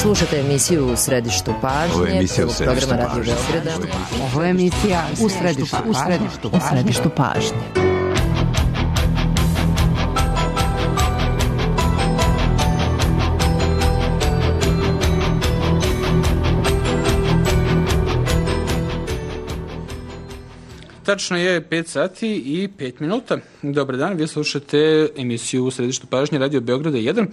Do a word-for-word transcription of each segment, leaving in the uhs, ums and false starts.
Slušate emisiju U središtu pažnje. Ovo je emisija U središtu programa pažnje. Radio Beograda. Ovo je emisija U središtu, u središtu, u središtu pažnje. Tačno je pet sati i pet minuta. Dobar dan, vi slušate emisiju U središtu pažnje Radio Beograda jedan,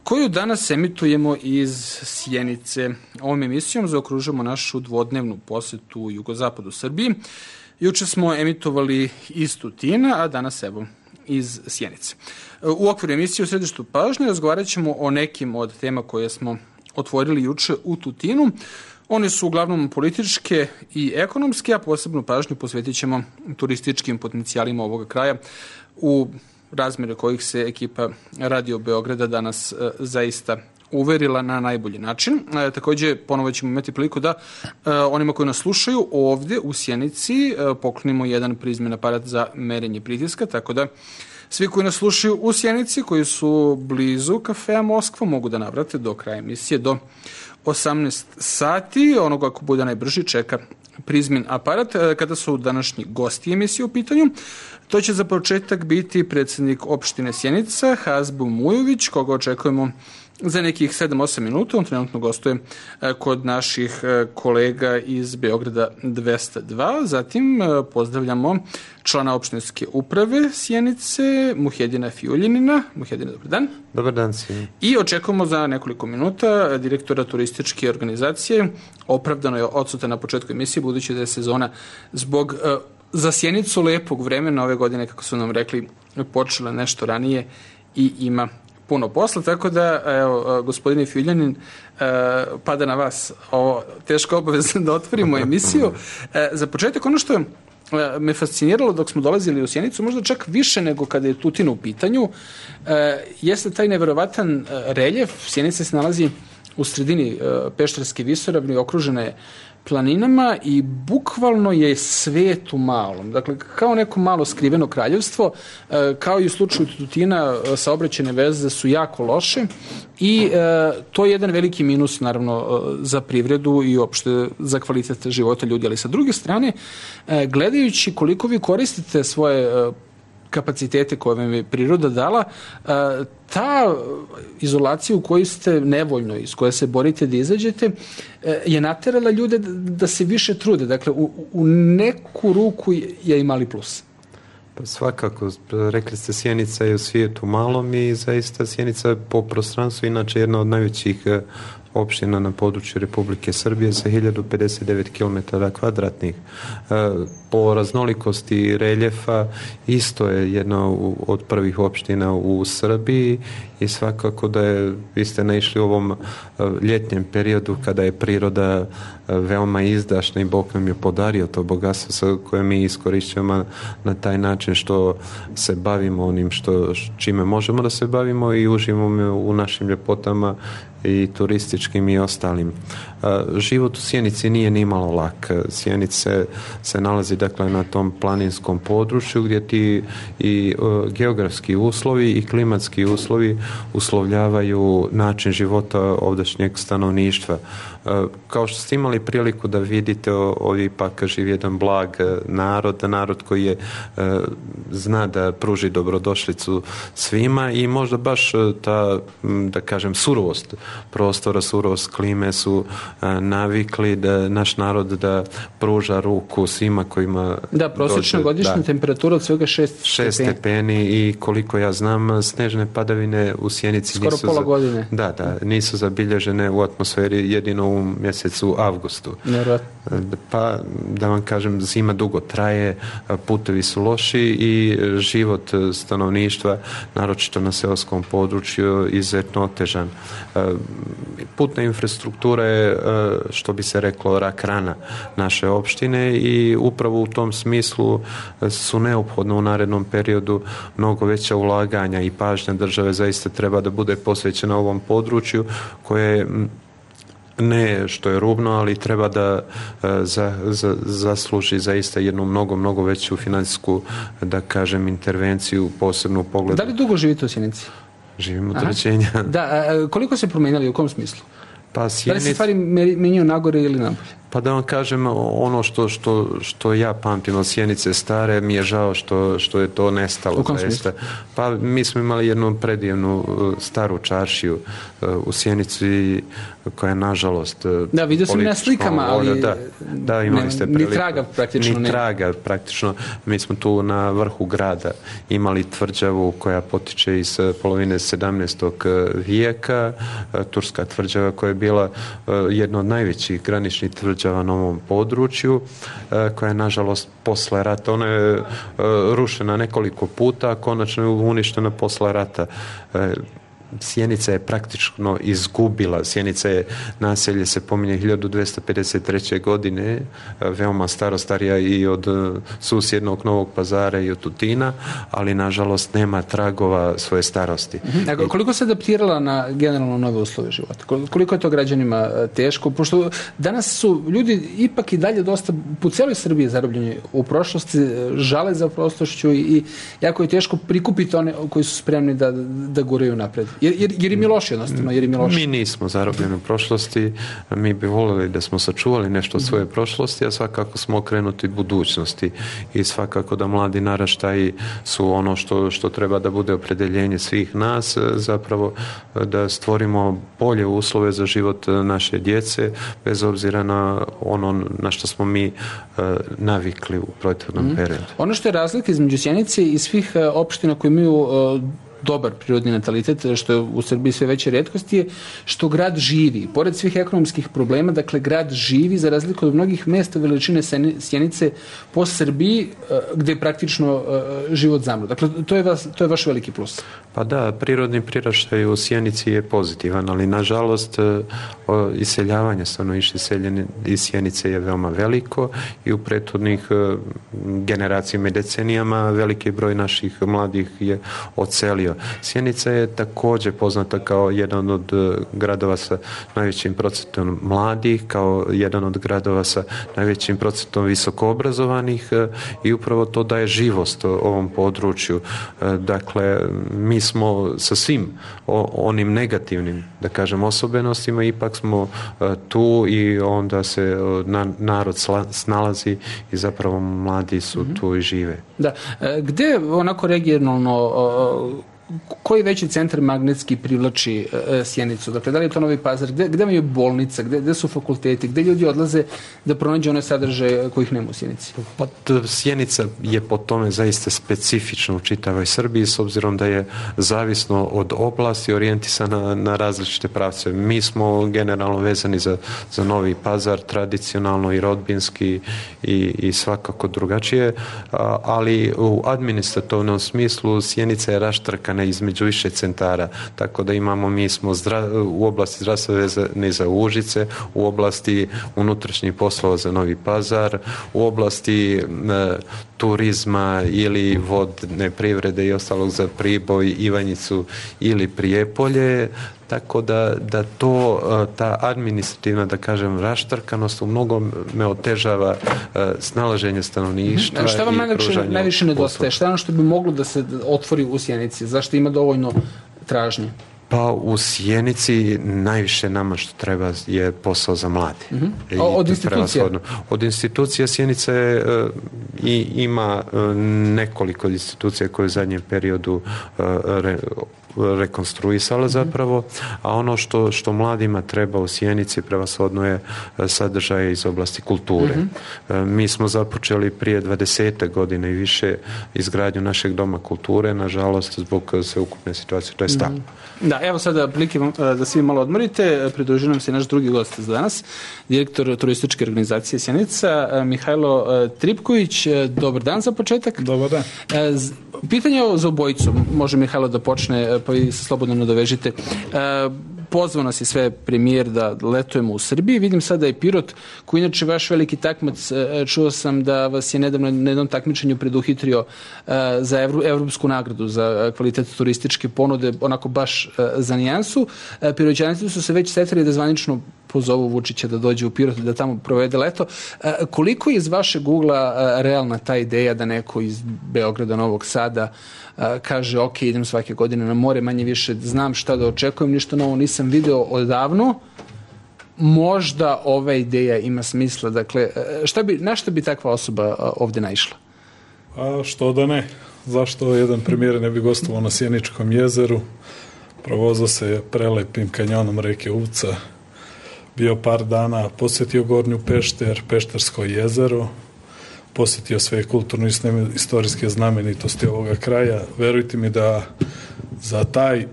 koju danas emitujemo iz Sjenice. Ovom emisijom zaokružujemo našu dvodnevnu posetu u jugozapadu Srbiji. Juče smo emitovali iz Tutina, a danas evo iz Sjenice. U okviru emisije U središtu pažnje razgovarat ćemo o nekim od tema koje smo otvorili juče u Tutinu. One su uglavnom političke i ekonomske, a posebnu pažnju posvetit ćemo turističkim potencijalima ovoga kraja, u razmjere kojih se ekipa Radio Beograda danas e, zaista uverila na najbolji način. E, također, ponovo ćemo imati priliku da e, onima koji nas slušaju ovdje u Sjenici e, poklonimo jedan prizmen aparat za merenje pritiska, tako da svi koji nas slušaju u Sjenici, koji su blizu kafea Moskva, mogu da navrate do kraja emisije, do osamnaest sati. Onoga ako bude najbrži čeka prizmen aparat. Kada su današnji gosti emisije u pitanju, to će za početak biti predsjednik opštine Sjenica, Hazbu Mujović, koga očekujemo za nekih sedam osam minuta. On trenutno gostuje kod naših kolega iz Beograda dvesta dva. Zatim pozdravljamo člana opštinske uprave Sjenice, Muhedina Fijuljanina. Muhedina, dobar dan. Dobar dan svima. I očekujemo za nekoliko minuta direktora turističke organizacije. Opravdano je odsutan na početku emisije, budući da je sezona zbog za Sjenicu lepog vremena ove godine, kako su nam rekli, počela nešto ranije i ima puno posla, tako da, evo, gospodine Fijuljanin, pada na vas ovo teško obaveza da otvorimo emisiju. Za početak, ono što me fasciniralo dok smo dolazili u Sjenicu, možda čak više nego kada je Tutin u pitanju, jeste taj neverovatan reljef. Sjenica se nalazi u sredini Pešterske visoravni, okružena je planinama i bukvalno je svet u malom. Dakle, kao neko malo skriveno kraljevstvo, kao i u slučaju Tutina, saobraćajne veze su jako loše i to je jedan veliki minus, naravno, za privredu i uopšte za kvalitet života ljudi. Ali sa druge strane, gledajući koliko vi koristite svoje kapacitete koje vam je priroda dala, ta izolacija u kojoj ste nevoljno, iz koje se borite da izađete, je naterala ljude da se više trude. Dakle, u, u neku ruku je i mali plus. Pa svakako, rekli ste, Sjenica je u svijetu malom i zaista Sjenica po prostranstvu inače jedna od najvećih opština na području Republike Srbije sa hiljadu pedeset devet kilometara kvadratnih. Po raznolikosti reljefa isto je jedna od prvih opština u Srbiji i svakako da je, vi ste naišli u ovom ljetnjem periodu kada je priroda veoma izdašna i Bog nam je podario to bogatstvo koje mi iskorišćujemo na taj način što se bavimo onim što, čime možemo da se bavimo i uživamo u našim ljepotama i turističkim i ostalim. Život u Sjenici nije ni malo lak. Sjenice se nalazi dakle na tom planinskom području gdje ti i uh, geografski uslovi i klimatski uslovi uslovljavaju način života ovdašnjeg stanovništva. Uh, kao što ste imali priliku da vidite, ovdje ipak živi jedan blag narod, narod koji je uh, zna da pruži dobrodošlicu svima i možda baš ta, da kažem, surovost prostora, surovost klime su uh, navikli da naš narod da pruža ruku svima kojima da, prosječna godišnja temperatura od svega šest šest stepeni i koliko ja znam snežne padavine u Sjenici skoro nisu pola za, godine. Da, da, nisu zabilježene u atmosferi jedino u mjesecu avgustu. Nevjerojatno. Pa da vam kažem, zima dugo traje, putevi su loši i život stanovništva, naročito na seoskom području, izuzetno otežan. Putna infrastruktura je, što bi se reklo, rak rana naše opštine i upravo u tom smislu su neophodno u narednom periodu mnogo veća ulaganja i pažnja države zaista treba da bude posvećena ovom području koje ne što je rubno, ali treba da za, za, zasluži zaista jednu mnogo, mnogo veću financijsku, da kažem, intervenciju, posebno u pogledu. Da li dugo živite u Sjenici? Živimo od rođenja. Da, a koliko se promenili, u kom smislu? Pa Sjenica... Da li se stvari menjaju nagore ili nabolje? Pa da vam kažem, ono što, što, što ja pamtim od Sjenice stare, mi je žao što, što je to nestalo. U kom smislu? Pa mi smo imali jednu predivnu staru čaršiju u Sjenici koja je nažalost da, vidio sam na slikama, ali da, da, imali ste ni traga praktično. Ni ne. traga praktično. Mi smo tu na vrhu grada imali tvrđavu koja potiče iz polovine sedamnaestog vijeka, turska tvrđava koja je bila jedna od najvećih graničnih tvrđava na ovom području, koja je nažalost posle rata, ona je rušena nekoliko puta, a konačno je uništena posle rata. Sjenica je praktično izgubila. Sjenica je, naselje se pominje hiljadu dvesta pedeset treće. godine, veoma staro, starija i od susjednog Novog Pazara i od Tutina, ali nažalost nema tragova svoje starosti. Mm-hmm. Koliko se adaptirala na generalno nove uslove života? Koliko je to građanima teško? Pošto danas su ljudi ipak i dalje dosta po cijeloj Srbiji zarobljeni u prošlosti, žale za prošlošću i jako je teško prikupiti one koji su spremni da, da guraju napred. Jer, jer, jer im je loše jednostavno, jer im je loše. Mi nismo zarobljeni u prošlosti, mi bi voljeli da smo sačuvali nešto od svoje prošlosti, a svakako smo okrenuti budućnosti i svakako da mladi naraštaji su ono što, što treba da bude opredeljenje svih nas, zapravo da stvorimo bolje uslove za život naše djece, bez obzira na ono na što smo mi uh, navikli u prethodnom mm. periodu. Ono što je razlika između Sjenice i svih uh, opština koje imaju uh, dobar prirodni natalitet, što je u Srbiji sve veće retkosti, je što grad živi. Pored svih ekonomskih problema, dakle, grad živi za razliku od mnogih mesta veličine Sjenice po Srbiji, gde je praktično život zamro. Dakle, to je, vas, to je vaš veliki plus. Pa da, prirodni priraštaj u Sjenici je pozitivan, ali nažalost iseljavanje stanovništva iz Sjenice je veoma veliko i u prethodnih generacijama i decenijama veliki broj naših mladih je odselio. Sjenica je također poznata kao jedan od gradova sa najvećim procentom mladih, kao jedan od gradova sa najvećim procentom visokoobrazovanih i upravo to daje živost ovom području. Dakle, mi smo sa svim onim negativnim, da kažem, osobenostima, ipak smo tu i onda se narod snalazi i zapravo mladi su mm-hmm. tu i žive. Da. Gde onako regionalno koji veći centar magnetski privlači e, Sjenicu? Dakle, da li je to Novi Pazar? Gde, gde imaju bolnica? Gde, gde su fakulteti? Gde ljudi odlaze da pronađe one sadržaje kojih nema u Sjenici? Pa, Sjenica je po tome zaista specifična u čitavoj Srbiji, s obzirom da je zavisno od oblasti orijentisana na različite pravce. Mi smo generalno vezani za, za Novi Pazar, tradicionalno i rodbinski i, i svakako drugačije, a, ali u administrativnom smislu Sjenica je raštrkana između više centara, tako da imamo, mi smo zdra, u oblasti zdravstva vezani za Užice, u oblasti unutrašnjih poslova za Novi Pazar, u oblasti e, turizma ili vodne privrede i ostalog za Priboj, Ivanjicu ili Prijepolje, tako da, da to, ta administrativna, da kažem, raštrkanost u mnogom me otežava snalaženje stanovništva. A šta vam najviše, najviše nedostaje? Šta je ono što bi moglo da se otvori u Sjenici? Zašto ima dovoljno tražnje? Pa u Sjenici najviše nama što treba je posao za mlade. Mm-hmm. Od institucija? Od institucija Sjenica je, uh, i, ima uh, nekoliko institucija koje u zadnjem periodu uh, re, rekonstruisala zapravo, a ono što, što mladima treba u Sjenici prevashodno je sadržaj iz oblasti kulture. Mm-hmm. Mi smo započeli prije dvadeset godine i više izgradnju našeg doma kulture, nažalost zbog sveukupne situacije, to je stalo. Mm-hmm. Da, evo sada prilike da svi malo odmorite, pridružuje nam se naš drugi gost za danas, direktor turističke organizacije Sjenica, Mihajlo Tripković. Dobar dan za početak. Dobar dan. Pitanje za obojicu, može Mihajlo da počne, pa vi se slobodno nadovežite. Pozvao nas je sve premijer da letujemo u Srbiji. Vidim sada i Pirot, koji inače vaš veliki takmac, čuo sam da vas je nedavno na jednom takmičenju preduhitrio za evru, evropsku nagradu za kvalitet turističke ponude, onako baš za nijansu. Piroćanici su se već setili da zvanično pozovu Vučića da dođe u Pirot, da tamo provede leto. Koliko je iz vašeg ugla realna ta ideja da neko iz Beograda, Novog Sada kaže ok, idem svake godine na more, manje više znam šta da očekujem, ništa novo nisam video odavno, možda ova ideja ima smisla. Dakle, šta bi, na šta bi takva osoba ovdje naišla? A što da ne? Zašto jedan premijer ne bi gostovao na Sjeničkom jezeru? Provozao se prelepim kanjonom reke Uvca, bio par dana, posjetio Gornju Pešter, Peštersko jezero, posjetio sve kulturno istorijske znamenitosti ovoga kraja. Verujte mi da za taj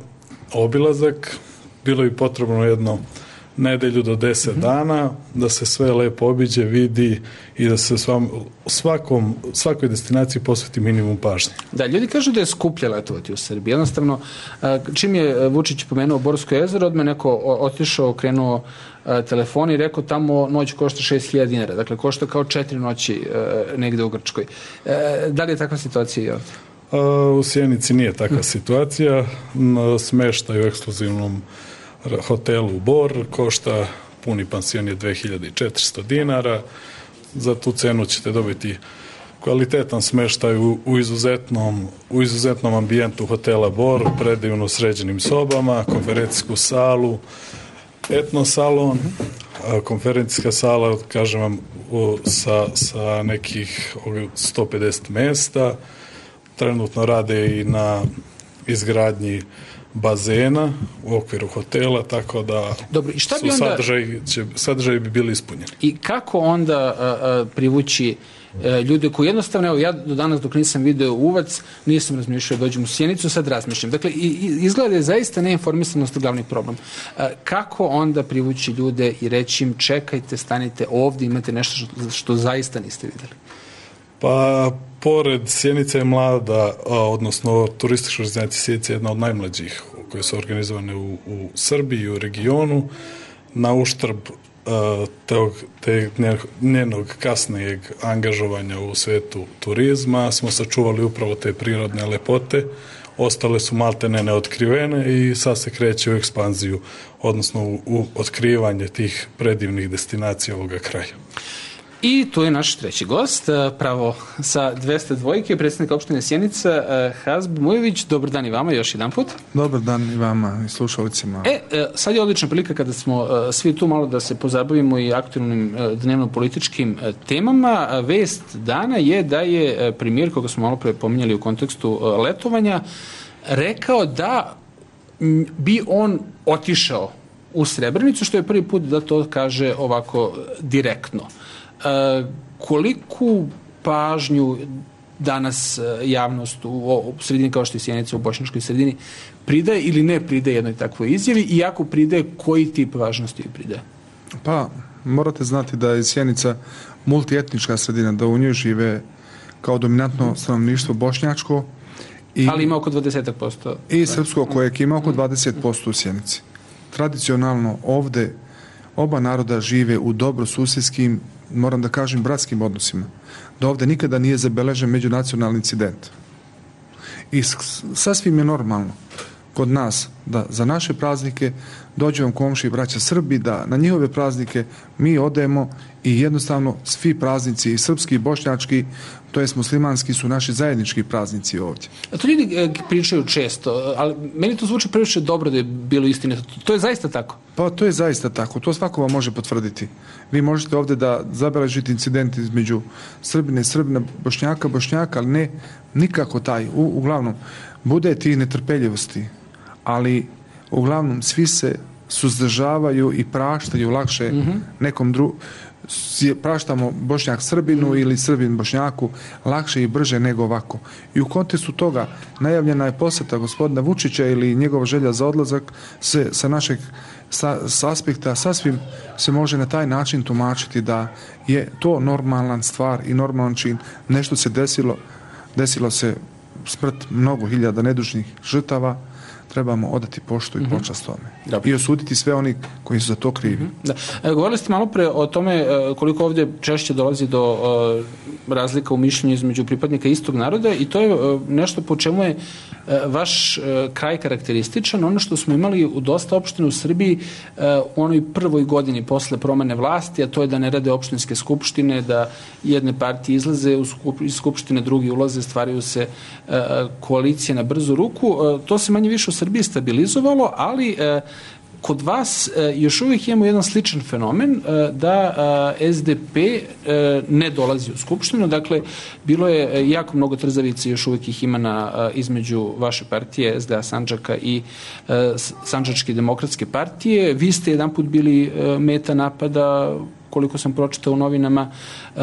obilazak bilo bi potrebno jedno nedelju do deset dana, da se sve lepo obiđe, vidi i da se svam, svakom, svakoj destinaciji posveti minimum pažnje. Da, ljudi kažu da je skuplje letovati u Srbiji. Jednostavno, čim je Vučić pomenuo Borsko jezero, odmah neko otišao, krenuo telefon i rekao tamo noć košta šest hiljada dinara. Dakle, košta kao četiri noći negde u Grčkoj. Da li je takva situacija i ovdje? U Sjenici nije takva situacija. Smeštaju u ekskluzivnom hotelu Bor, košta puni pansion je dve hiljade četiristo dinara. Za tu cenu ćete dobiti kvalitetan smeštaj u, u, izuzetnom, u izuzetnom ambijentu hotela Bor, predivno sređenim sobama, konferencijsku salu, etno salon, konferencijska sala, kažem vam, sa, sa nekih sto pedeset mesta. Trenutno rade i na izgradnji bazena u okviru hotela, tako da Dobro, i šta bi su onda, sadržaj, će, sadržaj bi bili ispunjeni. I kako onda a, a, privući a, ljude koji jednostavno, evo ja do danas dok nisam video Uvac, nisam razmišljao da dođem u Sjenicu, sad razmišljam. Dakle, i, i, izgleda je zaista neinformisanost glavni problem. A, kako onda privući ljude i reći im čekajte, stanite ovdje, imate nešto što, što zaista niste vidjeli? Pa, pored Sjenica je mlada, a, odnosno turistička organizacija Sjenica je jedna od najmlađih koje su organizovane u, u Srbiji i u regionu. Na uštrb a, tog, te, njenog kasnijeg angažovanja u svetu turizma smo sačuvali upravo te prirodne lepote. Ostale su maltene neotkrivene i sad se kreće u ekspanziju, odnosno u, u otkrivanje tih predivnih destinacija ovoga kraja. I tu je naš treći gost, pravo sa dvesta dvojke, predsjednik opštine Sjenica, Hazb Mujević. Dobar dan i vama još jedan put. Dobar dan i vama i slušalicima. E, sad je odlična prilika kada smo svi tu malo da se pozabavimo i aktualnim dnevno-političkim temama. Vest dana je da je premijer, koga smo malo pre pominjali u kontekstu letovanja, rekao da bi on otišao u Srebrenicu, što je prvi put da to kaže ovako direktno. Uh, koliku pažnju danas uh, javnost u, u sredini kao što je Sjenica, u bošnjačkoj sredini, pridaje ili ne pridaje jednoj takvoj izjavi i ako pridaje, koji tip važnosti pridaje? Pa, morate znati da je Sjenica multietnička sredina, da u njoj žive kao dominantno stanovništvo bošnjačko. I, ali ima oko dvadeset posto. I srpsko kojeg ima oko dvadeset posto u Sjenici. Tradicionalno ovde oba naroda žive u dobrosusjedskim, moram da kažem, bratskim odnosima. Da ovdje nikada nije zabeležen međunacionalni incident. I sasvim je normalno kod nas da za naše praznike dođu vam komši i braća Srbi, da na njihove praznike mi odemo i jednostavno svi praznici, i srpski i bošnjački, to jest muslimanski, su naši zajednički praznici ovdje. A to ljudi e, pričaju često, ali meni to zvuči previše dobro da je bilo istine. To je zaista tako? Pa to je zaista tako. To svako vam može potvrditi. Vi možete ovdje da zabeležite incident između Srbine i Srbina, Bošnjaka, Bošnjaka, ali ne nikako taj. U, uglavnom, bude tih netrpeljivosti, ali uglavnom svi se suzdržavaju i praštaju lakše mm-hmm. nekom drugom. Praštamo Bošnjak Srbinu ili Srbin Bošnjaku lakše i brže nego ovako. I u kontekstu toga najavljena je posjeta gospodina Vučića ili njegova želja za odlazak se, sa našeg sa, sa aspekta sasvim se može na taj način tumačiti da je to normalna stvar i normalan čin. Nešto se desilo, desilo se smrt mnogo hiljada nedužnih žrtava, trebamo odati poštu i počast tome. Dobro. I osuditi sve oni koji su za to krivi. Da. E, govorili ste malo pre o tome e, koliko ovdje češće dolazi do e, razlika u mišljenju između pripadnika istog naroda i to je e, nešto po čemu je e, vaš e, kraj karakterističan. Ono što smo imali u dosta opština u Srbiji e, u onoj prvoj godini posle promene vlasti, a to je da ne rade opštinske skupštine, da jedne partije izlaze u skup, iz skupštine, drugi ulaze, stvaraju se e, koalicije na brzu ruku. E, to se manje više u Srbiji stabilizovalo, ali e, kod vas e, još uvijek imamo jedan sličan fenomen e, da e, S D P e, ne dolazi u Skupštinu, dakle bilo je jako mnogo trzavice, još uvijek ih ima na, e, između vaše partije S D A Sandžaka i e, Sandžačke demokratske partije. Vi ste jedan put bili e, meta napada, koliko sam pročitao u novinama, e,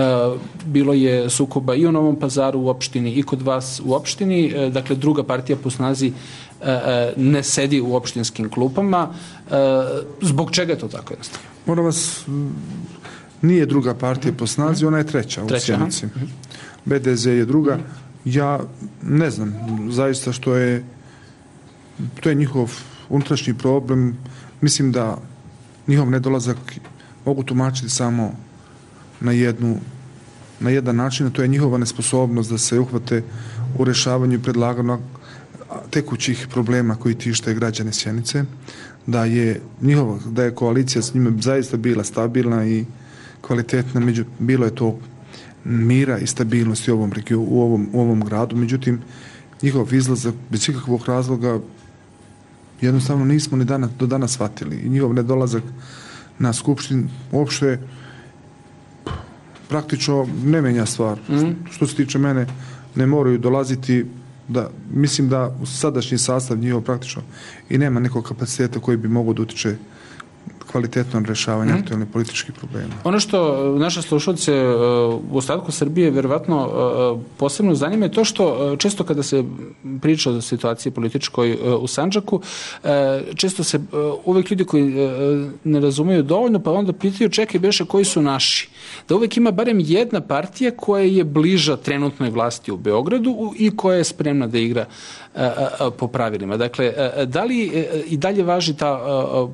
bilo je sukoba i u Novom Pazaru u opštini i kod vas u opštini, e, dakle druga partija po snazi e, ne sedi u opštinskim klupama. E, zbog čega je to tako jednostavno? Moram vas, nije druga partija po snazi, ona je treća, treća u Sjenici. B D Z je druga. Ja ne znam, zaista što je, to je njihov unutrašnji problem. Mislim da njihov nedolazak mogu tumačiti samo na jednu na jedan način, a to je njihova nesposobnost da se uhvate u rešavanju i predlaganju tekućih problema koji tište građane Sjenice, da je njihova, da je koalicija s njima zaista bila stabilna i kvalitetna, među, bilo je to mira i stabilnosti u ovom, u ovom, u ovom gradu, međutim njihov izlazak bez ikakvog razloga jednostavno nismo ni danas, do danas shvatili i njihov nedolazak na skupštini uopšte praktično ne menja stvar. Mm. Što se tiče mene, ne moraju dolaziti, da, mislim da u sadašnji sastav njihov praktično i nema nekog kapaciteta koji bi mogao da utiče kvalitetno rešavanje mm. aktualnih političkih problema. Ono što naše slušalce u ostatku Srbije verovatno posebno zanima je to što često kada se priča o situaciji političkoj u Sandžaku, često se uvek ljudi koji ne razumeju dovoljno pa onda pitaju čekaj beše koji su naši. Da uvek ima barem jedna partija koja je bliža trenutnoj vlasti u Beogradu i koja je spremna da igra po pravilima. Dakle, da li i dalje važi ta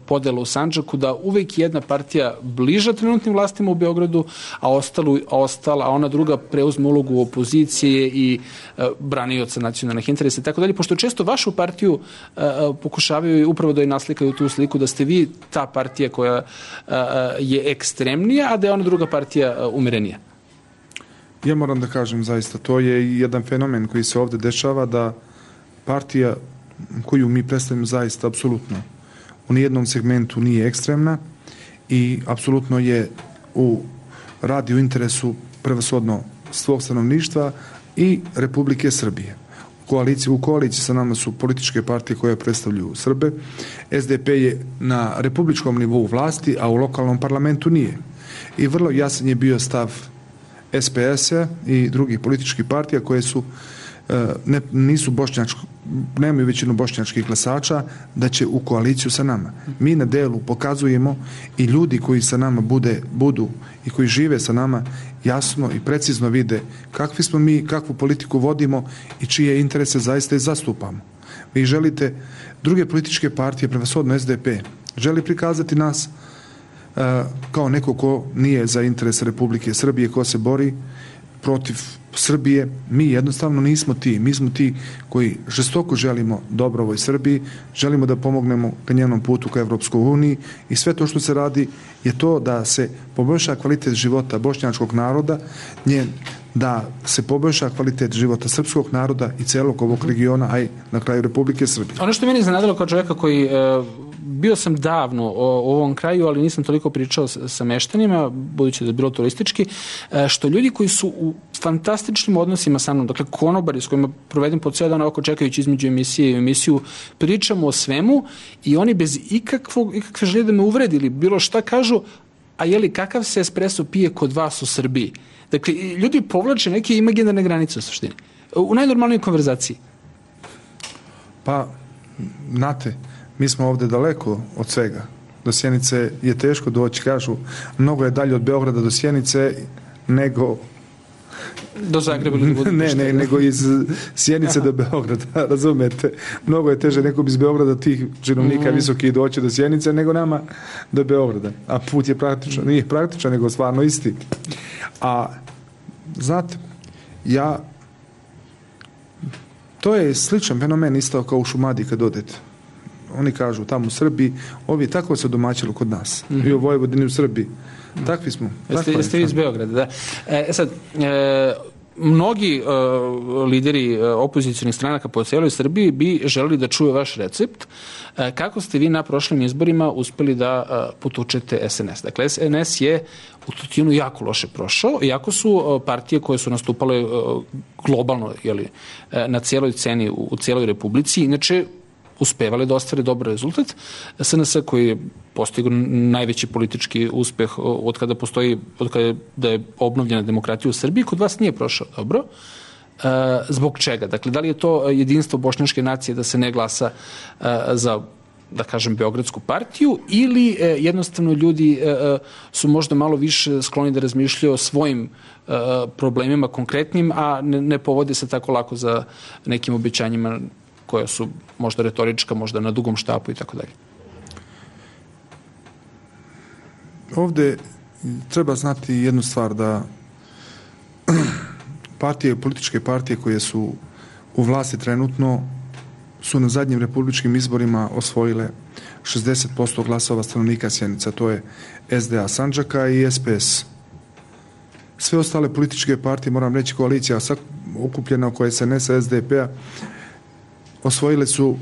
podela u Sandžaku da uvek jedna partija bliža trenutnim vlastima u Beogradu, a, ostalu, a ostala, a ona druga preuzme ulogu opozicije i branioca nacionalnih interesa i tako dalje, pošto često vašu partiju pokušavaju upravo da je naslikaju tu sliku da ste vi ta partija koja je ekstremnija, a da je ona druga partija umirenija. Ja moram da kažem zaista, to je jedan fenomen koji se ovde dešava, da partija koju mi predstavimo zaista apsolutno u nijednom segmentu nije ekstremna i apsolutno je u radi u interesu prevashodno svog stanovništva i Republike Srbije. U koaliciji, u koaliciji sa nama su političke partije koje predstavljaju Srbe. S D P je na republičkom nivou vlasti, a u lokalnom parlamentu nije. I vrlo jasan je bio stav S P S-a i drugih političkih partija koje su ne, nisu bošnjačko, nemaju većinu bošnjačkih glasača, da će u koaliciju sa nama. Mi na delu pokazujemo i ljudi koji sa nama bude, budu i koji žive sa nama jasno i precizno vide kakvi smo mi, kakvu politiku vodimo i čije interese zaista i zastupamo. Vi želite, druge političke partije, prevashodno S D P, želi prikazati nas uh, kao neko ko nije za interes Republike Srbije, ko se bori protiv Srbije. Mi jednostavno nismo ti. Mi smo ti koji žestoko želimo dobro ovoj Srbiji, želimo da pomognemo ka njenom putu ka Evropskoj uniji i sve to što se radi je to da se poboljša kvalitet života bošnjačkog naroda, njen, da se poboljša kvalitet života srpskog naroda i celog ovog regiona, a i na kraju Republike Srbije. Ono što meni iznenadilo kao čovjeka koji e, bio sam davno u ovom kraju, ali nisam toliko pričao sa meštanima, budući da je bilo turistički, e, što ljudi koji su u fantastičnim odnosima sa mnom, dakle konobari s kojima provedem po cijel dan oko čekajući između emisije i emisiju, pričamo o svemu i oni bez ikakvog, ikakve želje da me uvredili, bilo šta kažu, a jeli kakav se espresso pije kod vas u Srbiji? Dakle, ljudi povlače neke imaginarne granice u suštini. U najnormalnijoj konverzaciji. Pa, znate, mi smo ovde daleko od svega. Do Sjenice je teško doći, kažu, mnogo je dalje od Beograda do Sjenice nego do Zagreba ili do ne, ne, nego iz Sjenice do Beograda, razumete? Mnogo je teže nekom iz Beograda tih činovnika mm. visokih doći do Sjenice nego nama do Beograda. A put je praktičan, nije praktičan, nego stvarno isti. A, znate, ja, to je sličan fenomen isto kao u Šumadiji kad odete. Oni kažu tamo u Srbiji, ovi tako se domaćilo kod nas. Mm-hmm. I u Vojvodini u Srbiji. Takvi smo. Jeste, jeste vi iz Beograda, da. E sad, e, mnogi uh, lideri uh, opozicionih stranaka po cijeloj Srbiji bi želeli da čuje vaš recept. Uh, kako ste vi na prošlim izborima uspeli da uh, potučete S N S? Dakle, S N S je u Tutinu jako loše prošao, iako su uh, partije koje su nastupale uh, globalno, jeli, uh, na cijeloj ceni u, u cijeloj Republici, inače uspevali da ostvare dobar rezultat. S N S koji je postigao najveći politički uspeh od kada postoji, od kada je, da je obnovljena demokratija u Srbiji, kod vas nije prošao dobro. E, zbog čega? Dakle, da li je to jedinstvo bošnjačke nacije da se ne glasa e, za, da kažem, Beogradsku partiju, ili e, jednostavno ljudi e, su možda malo više skloni da razmišljaju o svojim e, problemima konkretnim, a ne, ne povode se tako lako za nekim obećanjima koja su možda retorička, možda na dugom štapu i tako dalje. Ovde treba znati jednu stvar, da partije, političke partije koje su u vlasti trenutno su na zadnjim republičkim izborima osvojile šezdeset posto glasova stanovnika Sjenica, to je S D A Sandžaka i S P S. Sve ostale političke partije, moram reći koalicija okupljena oko S N S-a, S D P-a, osvojile su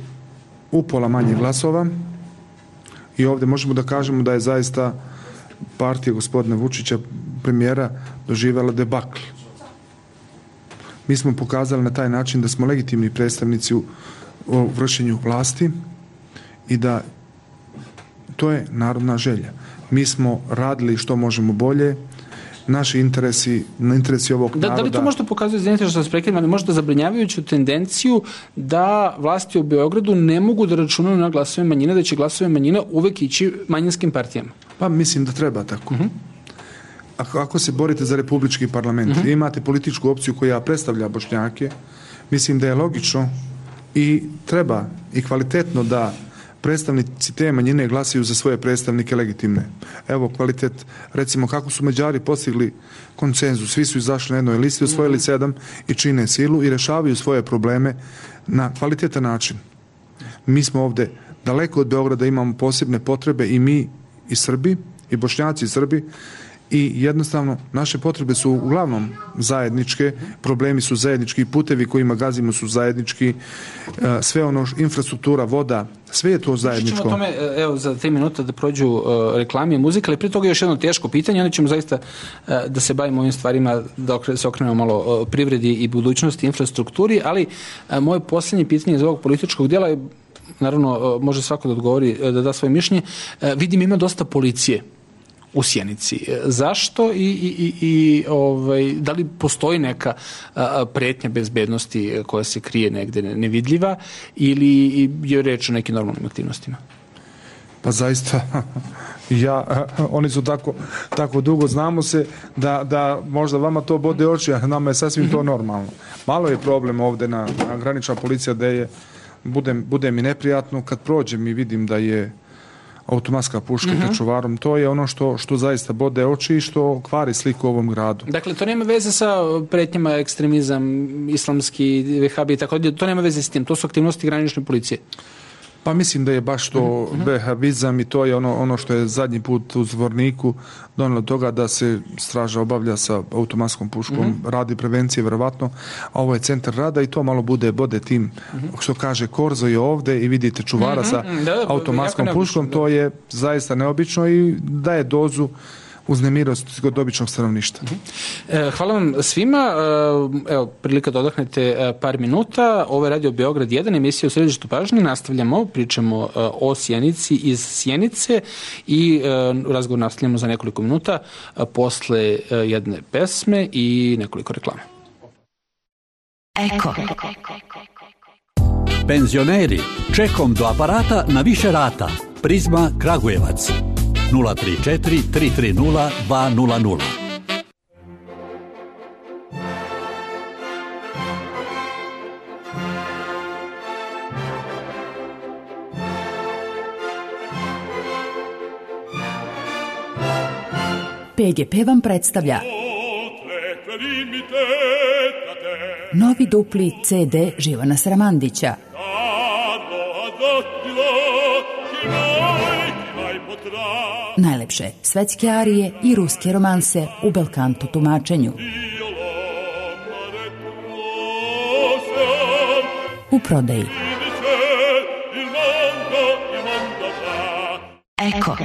upola manje glasova i ovdje možemo da kažemo da je zaista partija gospodina Vučića, premijera, doživjela debakl. Mi smo pokazali na taj način da smo legitimni predstavnici u, u vršenju vlasti i da to je narodna želja. Mi smo radili što možemo bolje, naši interesi, na interesi ovog da, naroda. Da li to možda pokazuje, izvinite što se prekidam, ali možda zabrinjavajuću tendenciju da vlasti u Beogradu ne mogu da računaju na glasove manjine, da će glasove manjine uvek ići manjinskim partijama? Pa mislim da treba tako. Uh-huh. Ako, ako se borite za republički parlament, uh-huh. imate političku opciju koja predstavlja Bošnjake, mislim da je logično i treba i kvalitetno da predstavnici te manjine glasaju za svoje predstavnike legitimne. Evo kvalitet, recimo kako su Mađari postigli konsenzus, svi su izašli na jednoj listi, osvojili sedam i čine silu i rešavaju svoje probleme na kvalitetan način. Mi smo ovde daleko od Beograda, imamo posebne potrebe i mi i Srbi, i Bošnjaci i Srbi, i jednostavno naše potrebe su uglavnom zajedničke, problemi su zajednički, putevi kojima gazimo su zajednički, sve ono, infrastruktura, voda, sve je to zajedničko. Ćemo tome, evo, za tri minuta da prođu uh, reklame i muzika, ali prije toga još jedno teško pitanje, onda ćemo zaista uh, da se bavimo ovim stvarima, da se okrenemo malo uh, privredi i budućnosti, infrastrukturi, ali uh, moje posljednje pitanje iz ovog političkog dijela je, naravno, uh, može svako da odgovori, uh, da da svoje mišljenje. Uh, vidim, ima dosta policije u Sjenici. Zašto i, i, i ovaj, da li postoji neka a, pretnja bezbednosti koja se krije negde nevidljiva ili je reč o nekim normalnim aktivnostima? Pa zaista, ja, oni su tako, tako dugo, znamo se da, da možda vama to bode oči, a nama je sasvim to normalno. Malo je problem ovde na, na granična policija da je, bude, bude mi neprijatno kad prođem i vidim da je automatska puška uh-huh. sa čuvarom, to je ono što, što zaista bode oči i što kvari sliku u ovom gradu. Dakle, to nema veze sa pretnjama ekstremizam, islamski, vehabi i tako, to nema veze s tim, to su aktivnosti granične policije. Pa mislim da je baš to uh-huh. vehabizam i to je ono, ono što je zadnji put u Zvorniku donelo toga da se straža obavlja sa automatskom puškom, uh-huh. radi prevencije verovatno, a ovo je centar rada i to malo bude bode tim, uh-huh. što kaže Korzo je ovde i vidite čuvara uh-huh. sa da, da, automatskom puškom, to je zaista neobično i daje dozu uznemirost kod običnog stanovništva. Hvala vam svima. Evo, prilika da odahnete par minuta. Ovo je Radio Beograd jedan, emisija u središtu pažnje. Nastavljamo, pričamo o Sjenici iz Sjenice i razgovor nastavljamo za nekoliko minuta posle jedne pesme i nekoliko reklama. Eko. Penzioneri, čekom do aparata na više rata. Prizma Kragujevac. nula tri četiri tri tri nula dva nula nula. P G P vam predstavlja novi dupli C D Živana Sramandića. Najlepše svetske arije i ruske romanse u belkanto tumačenju. u prodaji. Eko.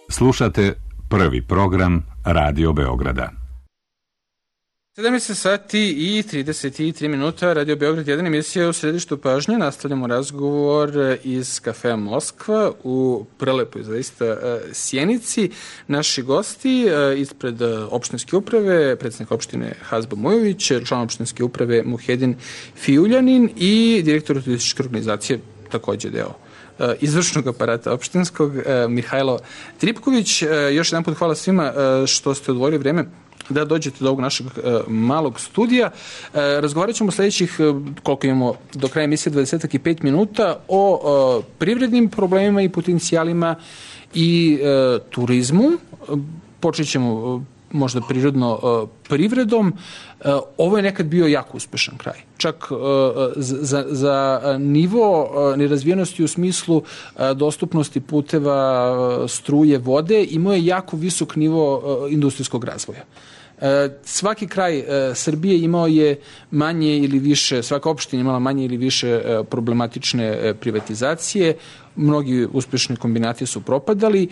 Slušate prvi program Radio Beograda. sedamnaest sati i trideset tri minuta, Radio Beograd jedan, emisija u središtu pažnje. Nastavljamo razgovor iz kafea Moskva u prelepoj zaista Sjenici. Naši gosti ispred opštinske uprave, predsjednik opštine Hazbo Mujović, član opštinske uprave Muhedin Fijuljanin i direktor turističke organizacije, takođe deo izvršnog aparata opštinskog, Mihajlo Tripković. Još jedan put hvala svima što ste odvojili vreme da dođete do ovog našeg malog studija. Razgovarat ćemo sljedećih, koliko imamo do kraja emisije, dvadeset pet minuta o privrednim problemima i potencijalima i turizmu. Počet ćemo možda prirodno privredom. Ovo je nekad bio jako uspešan kraj. Čak za, za nivo nerazvijenosti u smislu dostupnosti puteva, struje, vode, imao je jako visok nivo industrijskog razvoja. Svaki kraj Srbije imao je manje ili više, svaka opština imala manje ili više problematične privatizacije, mnogi uspešni kombinati su propadali.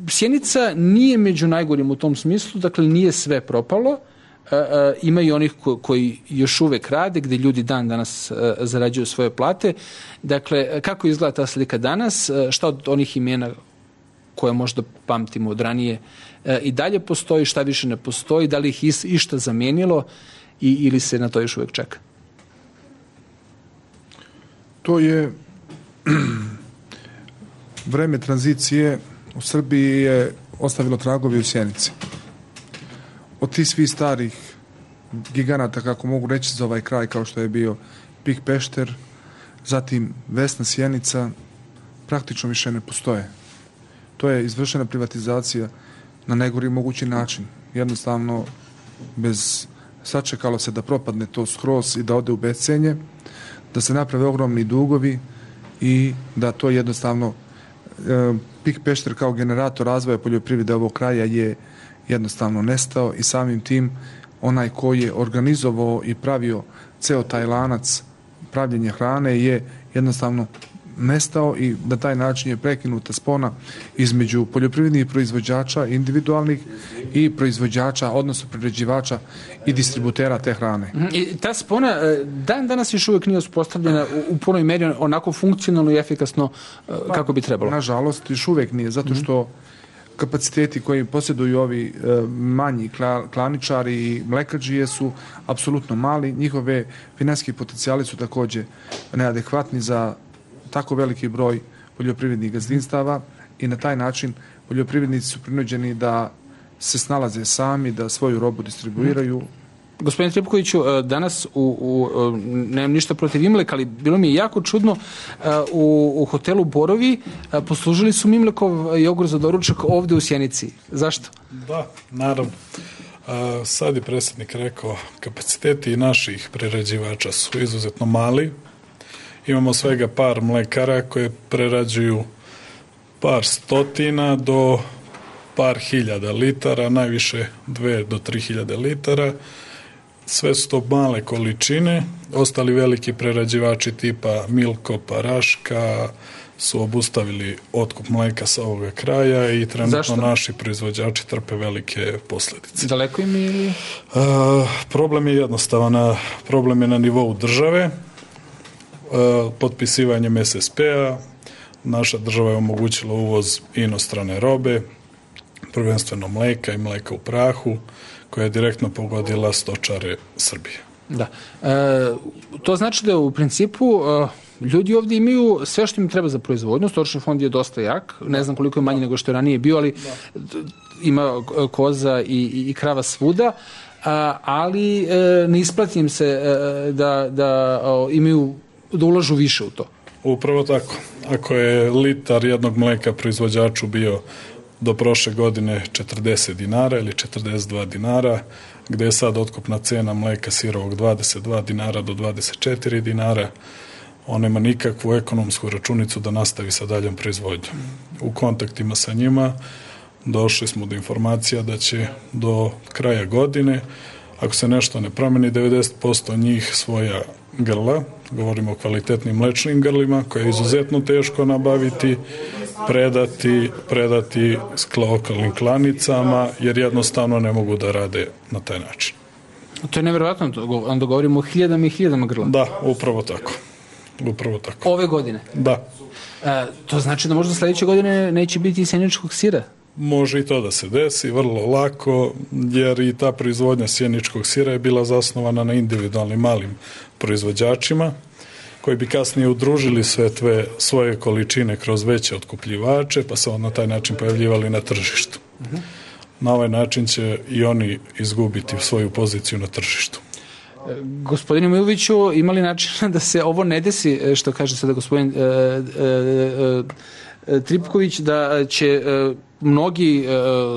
Sjenica nije među najgorim u tom smislu, dakle nije sve propalo. Ima i onih koji još uvek rade, gde ljudi dan danas zarađuju svoje plate. Dakle, kako izgleda ta slika danas? Šta od onih imena koje možda pamtimo od ranije i dalje postoji, šta više ne postoji, da li ih išta zamenilo i, ili se na to još uvek čeka? To je vreme tranzicije u Srbiji je ostavilo tragovi u Sjenici. Od tih svih starih giganata, kako mogu reći za ovaj kraj, kao što je bio Pik Pešter, zatim Vesna Sjenica, praktično više ne postoje. To je izvršena privatizacija na najgori mogući način. Jednostavno, bez, sačekalo se da propadne to skroz i da ode u bescenje, da se naprave ogromni dugovi i da to jednostavno e, Pik Pešter kao generator razvoja poljoprivrede ovog kraja je jednostavno nestao i samim tim onaj koji je organizovao i pravio ceo taj lanac pravljenja hrane je jednostavno nestao i na taj način je prekinuta spona između poljoprivrednih proizvođača individualnih i proizvođača, odnosno prerađivača i distributera te hrane. I ta spona dan danas još uvijek nije uspostavljena u, u punoj meri onako funkcionalno i efikasno kako bi trebalo. Nažalost, još uvijek nije, zato što kapaciteti koji posjeduju ovi e, manji kla, klaničari i mlekađije su apsolutno mali. Njihove financijski potencijali su također neadekvatni za tako veliki broj poljoprivrednih gazdinstava i na taj način poljoprivrednici su prinuđeni da se snalaze sami, da svoju robu distribuiraju. Gospodine Tripkoviću, danas u, u, nemam ništa protiv Imleka, ali bilo mi je jako čudno, u, u hotelu Borovi poslužili su Mimlekov jogurt za doručak ovde u Sjenici. Zašto? Da, naravno. A, sad je predsjednik rekao, kapaciteti naših prerađivača su izuzetno mali. Imamo svega par mlekara koje prerađuju par stotina do par hiljada litara, najviše dve do tri hiljade litara. Sve su to male količine. Ostali veliki prerađivači tipa Milko, Paraška su obustavili otkup mleka sa ovoga kraja i trenutno Zašto? naši proizvođači trpe velike posljedice. Daleko im ili? A, problem je jednostavan. Problem je na nivou države. A, potpisivanjem es es pe-a naša država je omogućila uvoz inostrane robe, prvenstveno mleka i mleka u prahu, koja je direktno pogodila stočare Srbije. Da. E, to znači da u principu e, ljudi ovdje imaju sve što im treba za proizvodnju. Stočni fond je dosta jak. Ne znam koliko je manji nego što je ranije bio, ali da. ima koza i, i, i krava svuda. A, ali e, ne isplati im se e, da, da o, imaju, da ulažu više u to. Upravo tako. Ako je litar jednog mleka proizvođaču bio do prošle godine četrdeset dinara ili četrdeset dva dinara, gde je sad otkupna cena mleka sirovog dvadeset dva dinara do dvadeset četiri dinara, on nema nikakvu ekonomsku računicu da nastavi sa daljom proizvodnjom. U kontaktima sa njima došli smo do informacija da će do kraja godine, ako se nešto ne promeni, devedeset posto njih svoja grla, govorimo o kvalitetnim mlečnim grlima, koje je izuzetno teško nabaviti, predati, predati lokalnim klanicama, jer jednostavno ne mogu da rade na taj način. To je nevjerovatno, onda govorimo o hiljadama i hiljadama grla. Da, upravo tako. Upravo tako. Ove godine? Da. E, to znači da možda sljedeće godine neće biti sjeničkog sira? Može i to da se desi, vrlo lako, jer i ta proizvodnja sjeničkog sira je bila zasnovana na individualnim malim proizvođačima, koji bi kasnije udružili sve tve svoje količine kroz veće otkupljivače, pa se na taj način pojavljivali na tržištu. Uh-huh. Na ovaj način će i oni izgubiti svoju poziciju na tržištu. Gospodine Miloviću, ima li načina da se ovo ne desi, što kaže sada gospodin e, e, e, Tripković, da će e, mnogi e,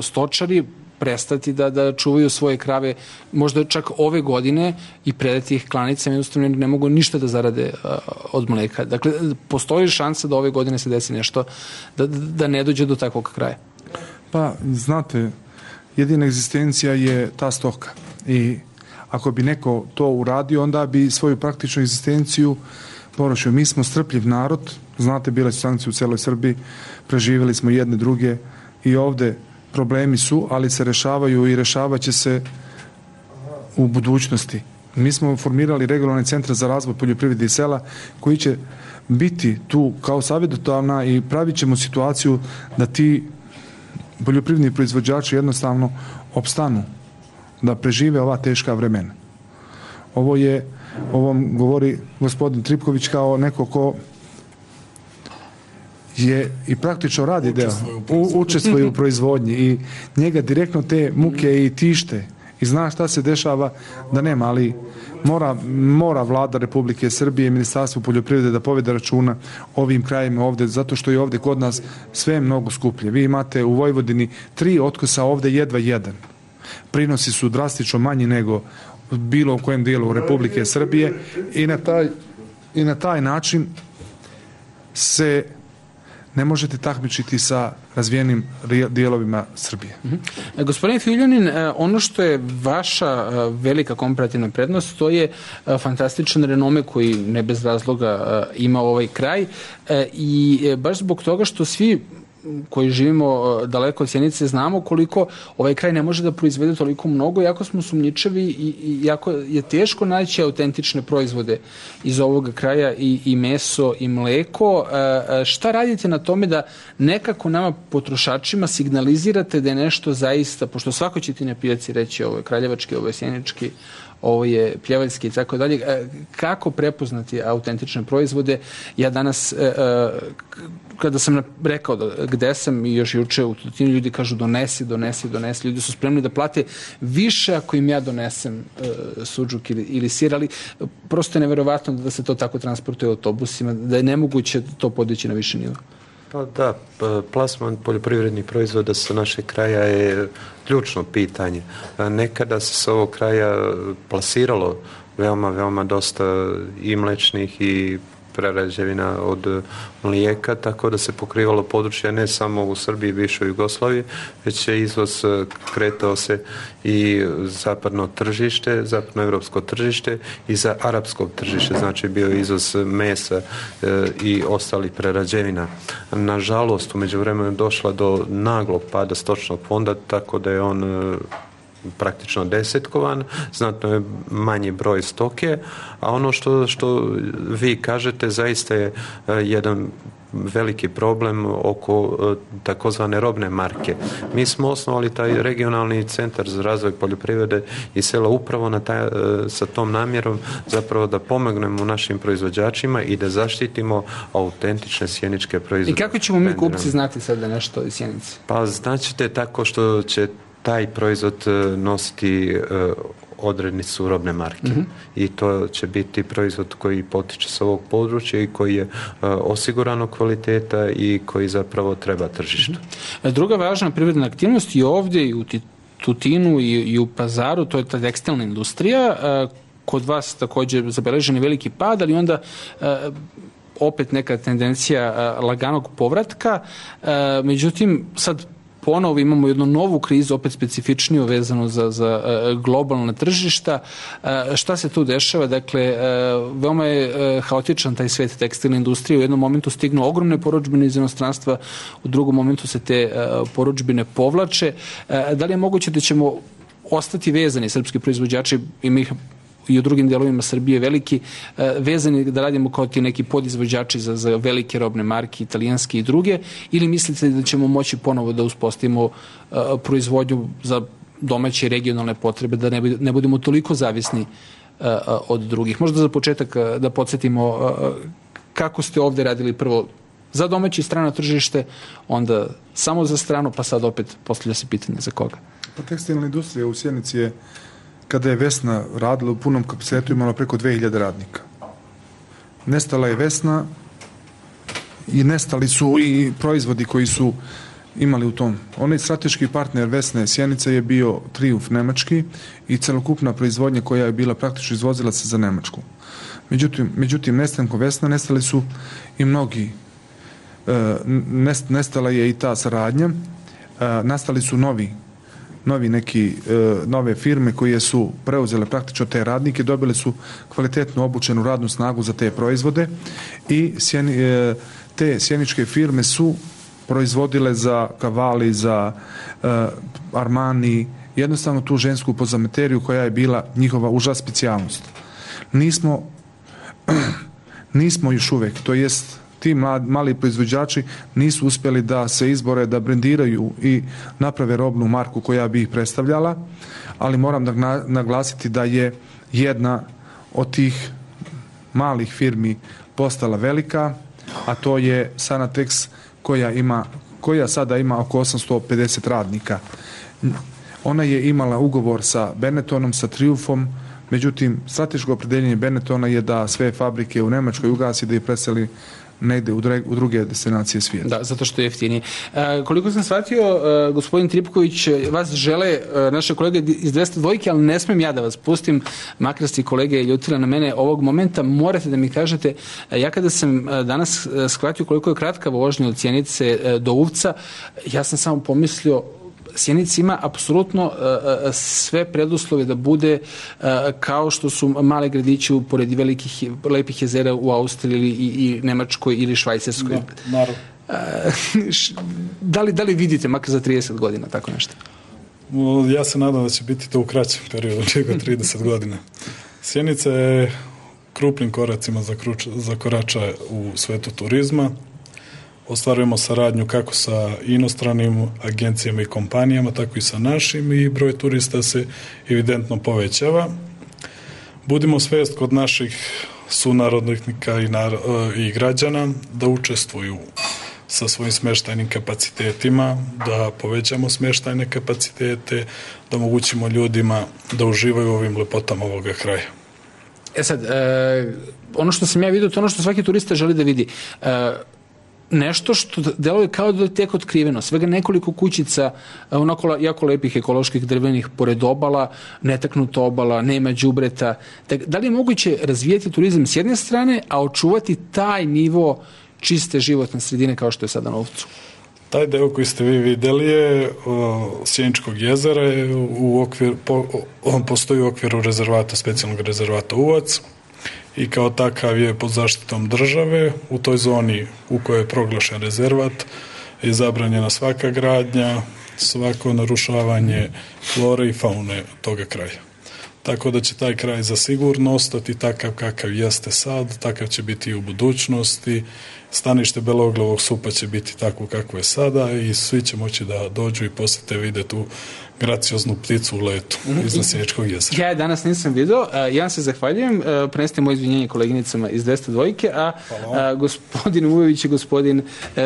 stočari prestati da, da čuvaju svoje krave možda čak ove godine i predati ih klanicama, jednostavno ne mogu ništa da zarade a, od mleka. Dakle, postoji šansa da ove godine se desi nešto, da, da ne dođe do takvog kraja? Pa, znate, jedina egzistencija je ta stoka i ako bi neko to uradio, onda bi svoju praktičnu egzistenciju porušio. Mi smo strpljiv narod, znate, bile su sankcije u celoj Srbiji, preživjeli smo jedne druge i ovde problemi su, ali se rešavaju i rešavat će se u budućnosti. Mi smo formirali regionalni centar za razvoj poljoprivrede i sela koji će biti tu kao savjetodavna i pravit ćemo situaciju da ti poljoprivredni proizvođači jednostavno opstanu, da prežive ova teška vremena. Ovo je, ovom govori gospodin Tripković kao neko ko je i praktično radi deo, učestvuje u proizvodnji i njega direktno te muke i tište i zna šta se dešava da nema, ali mora, mora vlada Republike Srbije i Ministarstvo poljoprivrede da povede računa ovim krajima ovde, zato što je ovde kod nas sve mnogo skuplje. Vi imate u Vojvodini tri otkosa, ovde jedva jedan. Prinosi su drastično manji nego bilo u kojem dijelu Republike Srbije i na taj, i na taj način se ne možete takmičiti sa razvijenim dijelovima Srbije. Mm-hmm. Gospodin Filjunin, ono što je vaša velika komparativna prednost, to je fantastičan renome koji ne bez razloga ima ovaj kraj i baš zbog toga što svi koji živimo daleko od Sjenice znamo koliko ovaj kraj ne može da proizvede toliko mnogo, jako smo sumnjičavi i jako je teško naći autentične proizvode iz ovog kraja i, i meso i mleko. E, šta radite na tome da nekako nama potrošačima signalizirate da je nešto zaista, pošto svako će ti na pijaci reći ovo je kraljevački, ovo je sjenički, ovo je pljevaljski i tako dalje. Kako prepoznati autentične proizvode? Ja danas, kada sam rekao da gde sam i još juče u Tutinu, ljudi kažu donesi, donesi, donesi. Ljudi su spremni da plate više ako im ja donesem suđuk ili, ili sir, ali prosto je neverovatno da se to tako transportuje autobusima, da je nemoguće to podići na više nivo. Pa da, plasman poljoprivrednih proizvoda sa našeg kraja je ključno pitanje. Nekada se s ovog kraja plasiralo veoma, veoma dosta i mlečnih i prerađevina od mlijeka, tako da se pokrivalo područje ne samo u Srbiji i bivšoj Jugoslaviji, već je izvoz kretao se i zapadno tržište, zapadnoevropsko tržište i za arapsko tržište, znači bio je izvoz mesa e, i ostalih prerađevina. Nažalost, u međuvremenu je došla do naglog pada stočnog fonda, tako da je on e, praktično desetkovan, znatno je manji broj stoke, a ono što, što vi kažete zaista je jedan veliki problem oko takozvane robne marke. Mi smo osnovali taj regionalni centar za razvoj poljoprivrede i sela upravo na taj, sa tom namjerom zapravo da pomognemo našim proizvođačima i da zaštitimo autentične sjeničke proizvode. I kako ćemo mi kupci znati sad da nešto iz Sjenice? Pa znaćete tako što će taj proizvod nositi uh, odrednicu robne marke. Mm-hmm. I to će biti proizvod koji potiče s ovog područja i koji je uh, osigurano kvaliteta i koji zapravo treba tržištu. Mm-hmm. Druga važna privredna aktivnost i ovdje i u Tutinu i, i u Pazaru, to je ta tekstilna industrija. Uh, kod vas također zabeležen je veliki pad, ali onda uh, opet neka tendencija uh, laganog povratka. Uh, međutim, sad ponovo imamo jednu novu krizu, opet specifičniju vezanu za, za uh, globalna tržišta. Uh, šta se tu dešava? Dakle, uh, veoma je uh, haotičan taj svet tekstilne industrije. U jednom momentu stignu ogromne porudžbine iz inostranstva, u drugom momentu se te uh, porudžbine povlače. Uh, da li je moguće da ćemo ostati vezani, srpski proizvođači, i mi i u drugim delovima Srbije veliki, vezani da radimo kao ti neki podizvođači za, za velike robne marke, italijanske i druge, ili mislite da ćemo moći ponovo da uspostavimo uh, proizvodnju za domaće i regionalne potrebe, da ne, ne budemo toliko zavisni uh, od drugih? Možda za početak uh, da podsjetimo uh, kako ste ovde radili prvo za domaće i strano tržište, onda samo za strano, pa sad opet postavlja se pitanje za koga. Pa tekstilna industrija u Sjenici je, kada je Vesna radila u punom kapacitetu, imala preko dve hiljade radnika. Nestala je Vesna i nestali su i proizvodi koji su imali u tom. Onaj strateški partner Vesne Sjenice je bio Trijumf nemački i celokupna proizvodnja koja je bila praktično izvozila se za Nemačku. Međutim, međutim nestankom Vesna nestali su i mnogi. E, nestala je i ta saradnja. E, nastali su novi novi neki, e, nove firme koje su preuzele praktično te radnike, dobile su kvalitetno obučenu radnu snagu za te proizvode i sjeni, e, te sjeničke firme su proizvodile za Cavalli, za e, Armani, jednostavno tu žensku pozamateriju koja je bila njihova uža specijalnost. Nismo nismo još uvek, to jest ti mali proizvođači nisu uspjeli da se izbore, da brendiraju i naprave robnu marku koja bi ih predstavljala, ali moram da naglasiti da je jedna od tih malih firmi postala velika, a to je Sanatex, koja ima, koja sada ima oko osamsto pedeset radnika. Ona je imala ugovor sa Benettonom, sa Triumfom, međutim, strateško opredeljenje Benettona je da sve fabrike u Nemačkoj ugasi, da ih preseli negde u, dre, u druge destinacije svijeta. Da, zato što je jeftinije. E, koliko sam shvatio, e, gospodin Tripković, vas žele e, naše kolege iz dvesta dvojke, ali ne smem ja da vas pustim, makar ste kolege ljutile na mene ovog momenta, morate da mi kažete, e, ja kada sam e, danas e, shvatio koliko je kratka vožnja od Sjenice e, do Uvca, ja sam samo pomislio, Sjenica ima apsolutno uh, sve preduslove da bude uh, kao što su male gradići pored velikih lepih jezera u Austriji ili i, i Nemačkoj ili Švajcarskoj. Da, naravno. Uh, da, li, da li vidite makar za trideset godina tako nešto? Ja se nadam da će biti to u kraćem periodu, čega trideset godina. Sjenica je krupnim koracima zakorača u svetu turizma. Ostvarujemo saradnju kako sa inostranim agencijama i kompanijama, tako i sa našim i broj turista se evidentno povećava. Budimo svest kod naših sunarodnika i, nar- i građana da učestvuju sa svojim smještajnim kapacitetima, da povećamo smještajne kapacitete, da omogućimo ljudima da uživaju u ovim lepotama ovoga kraja. E sad, e, ono što sam ja vidio, to ono što svaki turista želi da vidi. E, nešto što deluje kao da je tek otkriveno. Svega nekoliko kućica, onako jako lepih ekoloških drvenih pored obala, netaknuta obala, nema đubreta. Da li je moguće razvijeti turizam s jedne strane, a očuvati taj nivo čiste životne sredine kao što je sada na Uvcu? Taj deo koji ste vi videli je o, Sjeničkog jezera je u okvir, po, on postoji u okviru rezervata, specijalnog rezervata Uvac, i kao takav je pod zaštitom države. U toj zoni u kojoj je proglašen rezervat je zabranjena svaka gradnja, svako narušavanje flore i faune toga kraja. Tako da će taj kraj zasigurno ostati takav kakav jeste sad, takav će biti i u budućnosti. Stanište beloglavog supa će biti tako kako je sada i svi će moći da dođu i posete vide tu gracioznu pticu u letu iznad Sjeničkog jezera. Ja je danas nisam video, ja se zahvaljujem, prenesite moje izvinjenje koleginicama iz dvesta dvojke, a, a gospodin Ujović i gospodin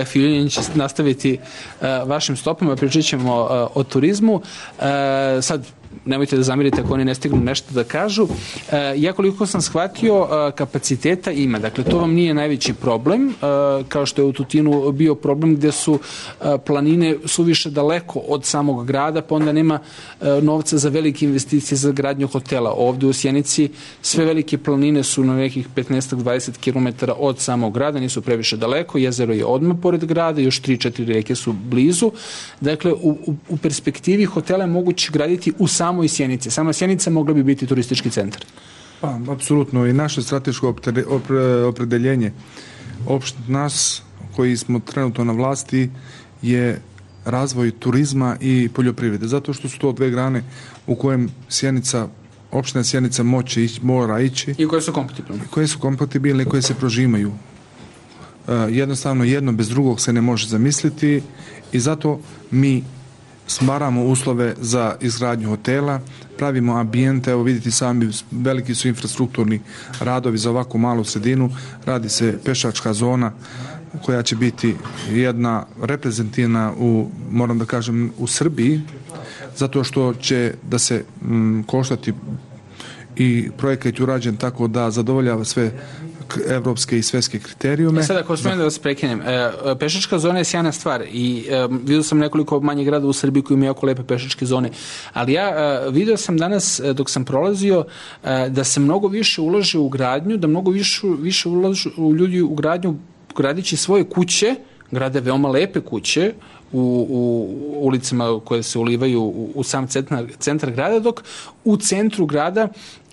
Filjunin će nastaviti a, vašim stopama, pričat ćemo a, o turizmu. A, sad, nemojte da zamirite ako oni ne stignu nešto da kažu. Ja koliko sam shvatio, kapaciteta ima. Dakle, to vam nije najveći problem, kao što je u Tutinu bio problem gde su planine suviše daleko od samog grada, pa onda nema novca za velike investicije za gradnju hotela. Ovde u Sjenici sve velike planine su na nekih petnaest do dvadeset kilometara od samog grada, nisu previše daleko, jezero je odmah pored grada, još tri četiri reke su blizu. Dakle, u, u perspektivi hotela je moguće graditi u samom i Sjenice. Sama Sjenica mogla bi biti turistički centar. Pa, apsolutno. I naše strateško opredeljenje opšte nas koji smo trenutno na vlasti je razvoj turizma i poljoprivrede. Zato što su to dve grane u kojem Sjenica, opština Sjenica moće ići, mora ići. I koje su kompatibilne. Koje su kompatibilne i koje se prožimaju. Uh, jednostavno jedno bez drugog se ne može zamisliti i zato mi stvaramo uslove za izgradnju hotela, pravimo ambijente, evo vidite sami, veliki su infrastrukturni radovi za ovako malu sredinu, radi se pešačka zona koja će biti jedna reprezentativna u, moram da kažem, u Srbiji, zato što će da se m, koštati i projekat je urađen tako da zadovoljava sve evropske i svetske kriterijume. E sad, ako smijem da vas prekinem, e, pešačka zona je sjajna stvar i e, vidio sam nekoliko manjih grada u Srbiji koji imaju jako lepe pešačke zone, ali ja e, vidio sam danas, e, dok sam prolazio, e, da se mnogo više ulaže u gradnju, da mnogo više, više ulažu ljudi u gradnju, gradići svoje kuće, grade veoma lepe kuće u, u ulicama koje se ulivaju u, u sam centar, centar grada, dok u centru grada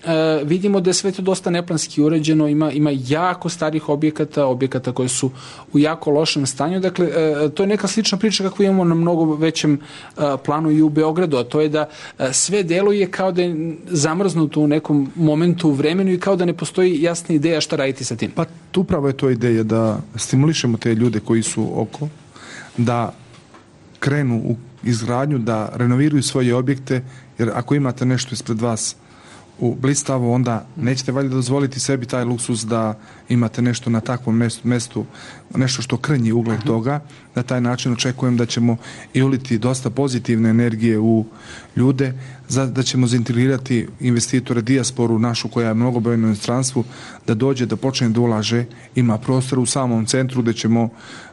e, vidimo da je sve to dosta neplanski uređeno, ima, ima jako starih objekata, objekata koje su u jako lošem stanju. Dakle, e, to je neka slična priča kako imamo na mnogo većem e, planu i u Beogradu, a to je da e, sve deluje kao da je zamrznuto u nekom momentu u vremenu i kao da ne postoji jasna ideja šta raditi sa tim. Pa upravo je to ideja da stimulišemo te ljude koji su oko, da krenu u izgradnju, da renoviraju svoje objekte, jer ako imate nešto ispred vas u blistavo, onda nećete valjda dozvoliti sebi taj luksuz da imate nešto na takvom mestu, mestu nešto što krnji ugled toga. Na taj način očekujem da ćemo i uliti dosta pozitivne energije u ljude, za, da ćemo zaintegrirati investitore, dijasporu našu koja je mnogobrojna u inostranstvu, da dođe, da počne da ulaže, ima prostor u samom centru gde ćemo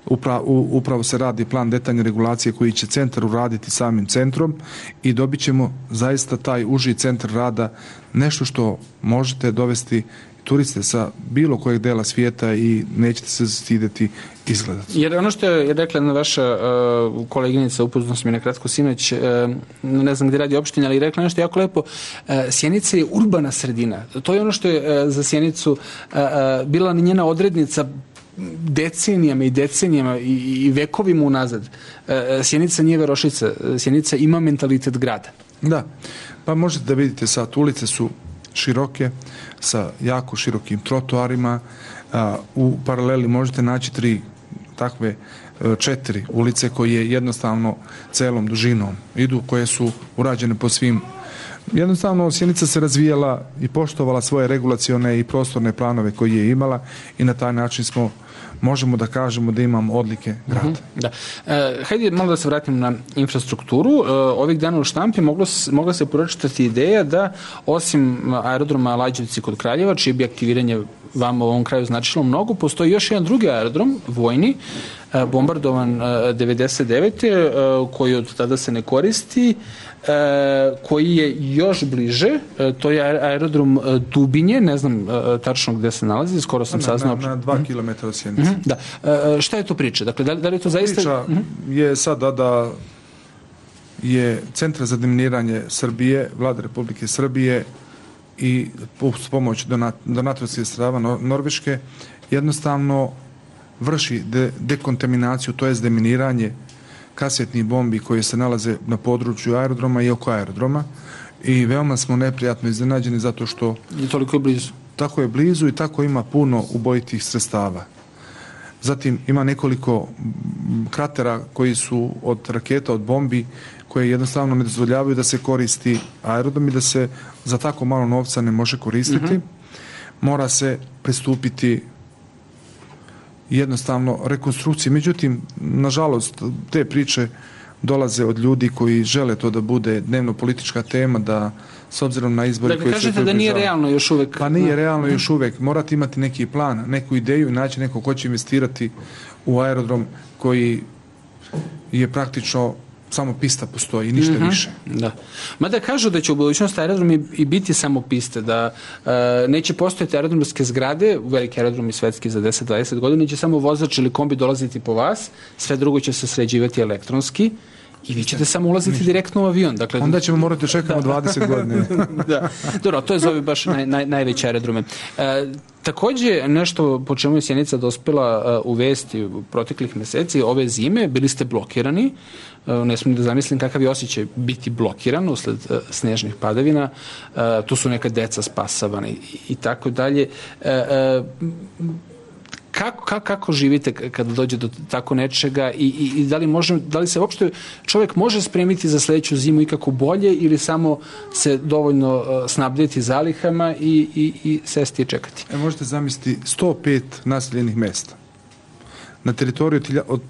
upra, u, upravo se radi plan detaljne regulacije koji će centar uraditi samim centrom i dobit ćemo zaista taj uži centar rada, nešto što možete dovesti turiste sa bilo kojeg dela svijeta i nećete se stideti izgledati. Jer ono što je rekla jedna vaša uh, koleginica, upoznao sam je na kratko sinoć, uh, ne znam gdje radi opština, ali rekla nešto jako lepo, uh, Sjenica je urbana sredina. To je ono što je uh, za Sjenicu uh, uh, bila njena odrednica decenijama i decenijama i, i vekovima unazad. Uh, Sjenica nije Verošica, Sjenica ima mentalitet grada. Da, pa možete da vidite sad, ulice su široke, sa jako širokim trotoarima, u paraleli možete naći tri takve četiri ulice koje jednostavno celom dužinom idu, koje su urađene po svim. Jednostavno Sjenica se razvijala i poštovala svoje regulacione i prostorne planove koje je imala i na taj način smo možemo da kažemo da imamo odlike grada. Mm-hmm, da. E, hajde malo da se vratim na infrastrukturu. E, ovih dana u štampi moglo, mogla se pročitati ideja da osim aerodroma Lađevci kod Kraljeva, čije bi aktiviranje vama u ovom kraju značilo mnogo, postoji još jedan drugi aerodrom, vojni, e, bombardovan e, devedeset devete E, koji od tada se ne koristi, e, koji je još bliže, e, to je aerodrom e, Dubinje, ne znam e, tačno gde se nalazi, skoro sam na, saznao. Na, na dva mm-hmm. kilometra od Sjenice. Mm-hmm, da. E, šta je to priča? Dakle, da, da li je to zaista... Priča mm-hmm. je sada da je Centar za deminiranje Srbije, Vlade Republike Srbije i s pomoć donat, donatorskih sredstava Norveške jednostavno vrši de, dekontaminaciju, to jest deminiranje kasetnih bombi koje se nalaze na području aerodroma i oko aerodroma i veoma smo neprijatno iznenađeni zato što je toliko blizu. Tako je blizu i tako ima puno ubojitih sredstava. Zatim ima nekoliko kratera koji su od raketa, od bombi koje jednostavno ne dozvoljavaju da se koristi aerodrom i da se za tako malo novca ne može koristiti. Mm-hmm. Mora se pristupiti jednostavno rekonstrukciji. Međutim, nažalost, te priče dolaze od ljudi koji žele to da bude dnevno politička tema, da s obzirom na izbore dakle, koji se... Dakle, kažete da nije realno još uvek... Pa nije realno još uvek. Morate imati neki plan, neku ideju i naći neko ko će investirati u aerodrom koji je praktično samo pista postoji i ništa mm-hmm. više. Da. Mada kažu da će u budućnosti aerodrom i, i biti samo piste, da e, neće postojati aerodromske zgrade, veliki aerodrom i svetski za deset do dvadeset godina, će samo vozač ili kombi dolaziti po vas, sve drugo će se sređivati elektronski i vi ćete samo ulaziti ništa. Direktno u avion. Dakle, onda ćemo morati čekamo dvadeset godina. Da. Dobro, to je zove baš naj, naj, najveće aerodrome. E, takođe, nešto po čemu je Sjenica dospela uh, u vesti u proteklih meseci, ove zime, bili ste blokirani. Uh, ne smijem da zamislim kakav je osjećaj biti blokiran usled uh, snežnih padavina. Uh, tu su neka deca spasavana i, i tako dalje. Uh, uh, Kako, kako, kako živite kada dođe do tako nečega i, i, i da, li može, da li se uopšte čovjek može spremiti za sledeću zimu ikako bolje ili samo se dovoljno uh, snabdjeti zalihama i, i, i sesti i čekati? E, možete zamisliti sto pet naseljenih mesta na teritoriju od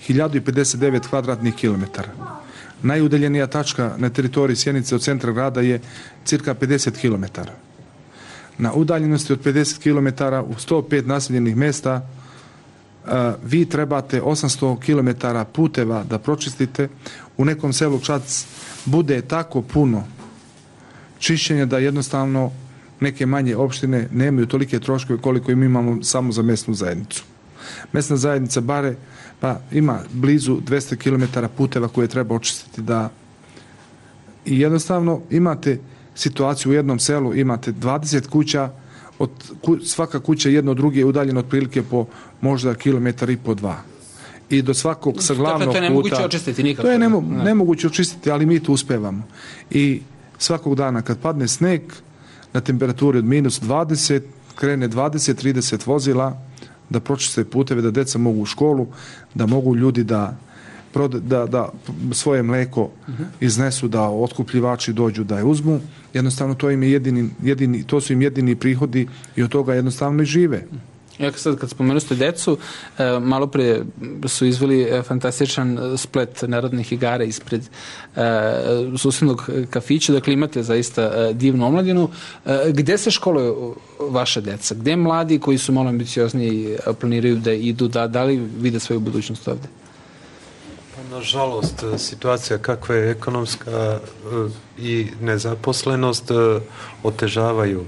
hiljadu pedeset devet kvadratnih kilometara. Najudaljenija tačka na teritoriji Sjenice od centra grada je cirka pedeset kilometara. Na udaljenosti od pedeset kilometara u sto pet naseljenih mesta uh, vi trebate osamsto kilometara puteva da pročistite. U nekom selu Čac bude tako puno čišćenja da jednostavno neke manje opštine nemaju tolike troškove koliko im imamo samo za mesnu zajednicu. Mesna zajednica bare pa ima blizu dvesta kilometara puteva koje treba očistiti da i jednostavno imate situaciju u jednom selu, imate dvadeset kuća, od ku, svaka kuća jedno od druge je udaljena otprilike po možda kilometar i po dva. I do svakog sa glavnog puta... To je nemoguće očistiti nikako. To je nemo, nemoguće očistiti, ali mi to uspevamo. I svakog dana kad padne sneg na temperaturi od minus dvadeset, krene dvadeset do trideset vozila da pročiste puteve, da deca mogu u školu, da mogu ljudi da da, da svoje mleko iznesu, da otkupljivači dođu da je uzmu. Jednostavno to im je jedini, jedini, to su im jedini prihodi i od toga jednostavno i žive. Ja sad kad spomenuo ste decu, malo pre su izveli fantastičan splet narodnih igara ispred susednog kafića, dakle imate zaista divnu omladinu. Gde se školuju vaša deca? Gde mladi koji su malo ambiciozniji planiraju da idu, da, da li vide svoju budućnost ovde? Pa, nažalost, situacija kakva je ekonomska i nezaposlenost otežavaju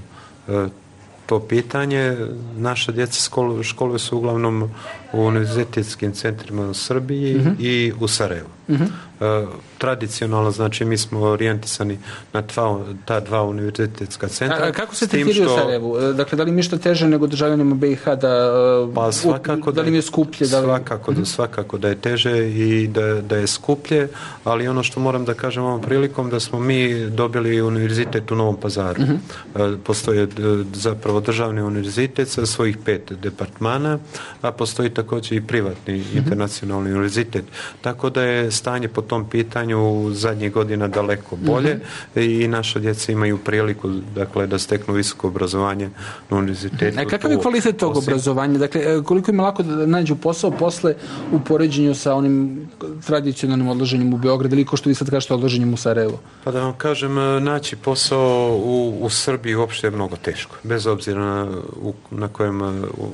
to pitanje. Naša djeca školu, školuju se uglavnom u univerzitetskim centrima u Srbiji uh-huh. i u Sarajevu. Uh-huh. E, tradicionalno, znači, mi smo orijentisani na tva, ta dva univerzitetska centra. A, a kako se tretiraju u Sarajevu? Dakle, da li mi što teže nego državljanima B i H da, pa, svakako da li mi je skuplje? Da li... Svakako, da, svakako da je teže i da, da je skuplje, ali ono što moram da kažem ovom prilikom, da smo mi dobili univerzitet u Novom Pazaru. Uh-huh. E, postoje zapravo državni univerzitet sa svojih pet departmana, a postoji također i privatni uh-huh. internacionalni univerzitet. Tako da je stanje po tom pitanju zadnjih godina daleko bolje uh-huh. i naša djeca imaju priliku, dakle, da steknu visoko obrazovanje na univerzitetu. A kakav je kvalitet tog obrazovanja? Dakle, koliko im lako da nađu posao posle u poređenju sa onim tradicionalnim odloženjem u Beogradu ili ko što vi sad kažete odloženjem u Sarajevu? Pa da vam kažem, naći posao u, u Srbiji uopšte je mnogo teško. Bez obzira na, u, na kojem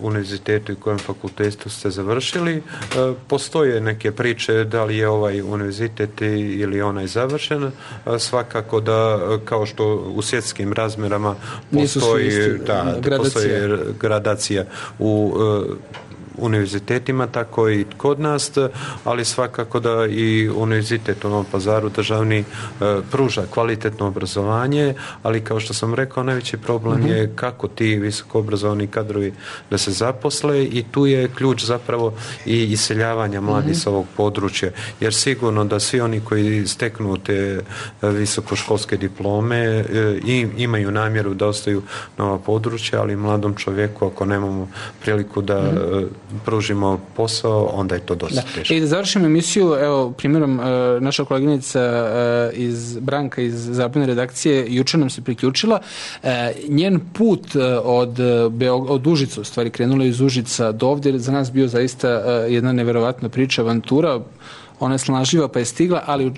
univerzitetu i kojem fakultetu ste završili. Postoje neke priče da li je ovaj univerzitet ili onaj završen. Svakako da, kao što u svjetskim razmerama postoji, da, gradacija. postoji gradacija u univerzitetima, tako i kod nas, ali svakako da i univerzitet u Novom Pazaru državni e, pruža kvalitetno obrazovanje, ali kao što sam rekao, najveći problem mm-hmm. je kako ti visoko obrazovani kadrovi da se zaposle i tu je ključ zapravo i iseljavanja mladih mm-hmm. s ovog područja, jer sigurno da svi oni koji steknu te visokoškolske diplome e, i, imaju namjeru da ostaju na ova područja, ali mladom čovjeku ako nemamo priliku da mm-hmm. pružimo posao, onda je to dosta da. teško. I da završimo emisiju, evo, primjerom, naša koleginica iz Branka iz Zabojne redakcije juče nam se priključila. Njen put od, od Užica, u stvari krenula iz Užica do ovdje, za nas bio zaista jedna neverovatna priča, avantura. Ona je snažljiva pa je stigla, ali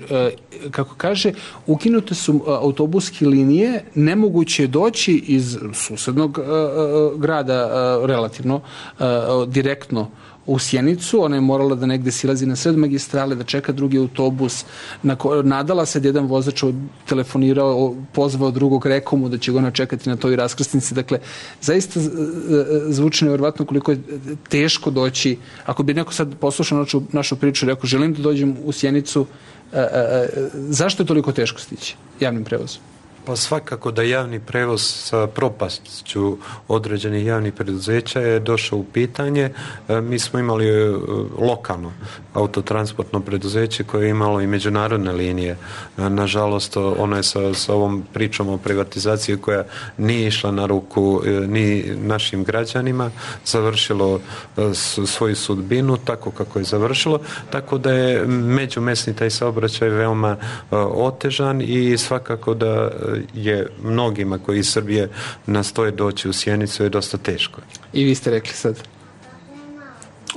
kako kaže, ukinute su autobuske linije, nemoguće je doći iz susednog grada relativno direktno u Sjenicu. Ona je morala da negde silazi na sred magistrale, da čeka drugi autobus. Nadala se da jedan vozač telefonirao, pozvao drugog, rekao mu da će ga ona čekati na toj raskrsnici. Dakle, zaista zvuči nevjerovatno koliko je teško doći. Ako bi neko sad poslušao našu, našu priču i rekao želim da dođem u Sjenicu, a, a, a, zašto je toliko teško stići javnim prevozom? Pa svakako da javni prevoz sa propasću određenih javnih preduzeća je došao u pitanje. Mi smo imali lokalno autotransportno preduzeće koje je imalo i međunarodne linije. Nažalost, ono je sa, sa ovom pričom o privatizaciji koja nije išla na ruku ni našim građanima, završilo svoju sudbinu tako kako je završilo, tako da je međumesni taj saobraćaj veoma otežan i svakako da je mnogima koji iz Srbije nastoje doći u Sjenicu je dosta teško. I vi ste rekli sad.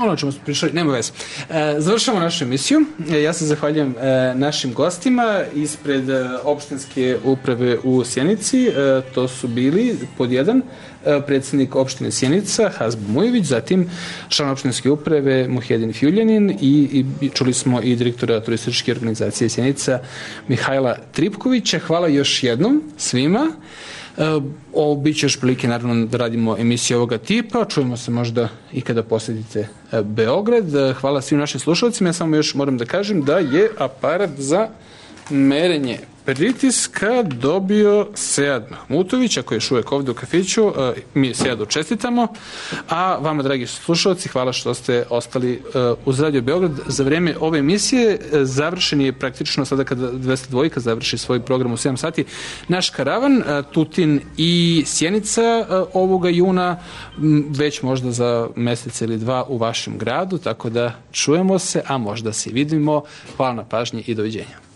Ono čemu smo pričali, nema veze. E, završamo našu emisiju. E, ja se zahvaljujem e, našim gostima ispred e, opštinske uprave u Sjenici. E, to su bili pod jedan e, predsjednik opštine Sjenica Hazbo Mujević, zatim član opštinske uprave Muhedin Fjuljanin i, i čuli smo i direktora turističke organizacije Sjenica Mihajla Tripkovića. Hvala još jednom svima. Ovo bit će još prilike naravno da radimo emisije ovoga tipa, čujemo se možda i kada posjetite Beograd. Hvala svim našim slušalcima, ja samo još moram da kažem da je aparat za merenje pritiska dobio Sead Mahmutović, ako je još uvijek ovdje u kafiću. Mi Seadu čestitamo, a vama, dragi slušalci, hvala što ste ostali uz Radio Beograd za vrijeme ove emisije. Završen je praktično sada kada dvesta dva završi svoj program u sedam sati naš karavan. Tutin i Sjenica ovoga juna, već možda za mjesec ili dva u vašem gradu, tako da čujemo se, a možda se vidimo. Hvala na pažnji i doviđenja.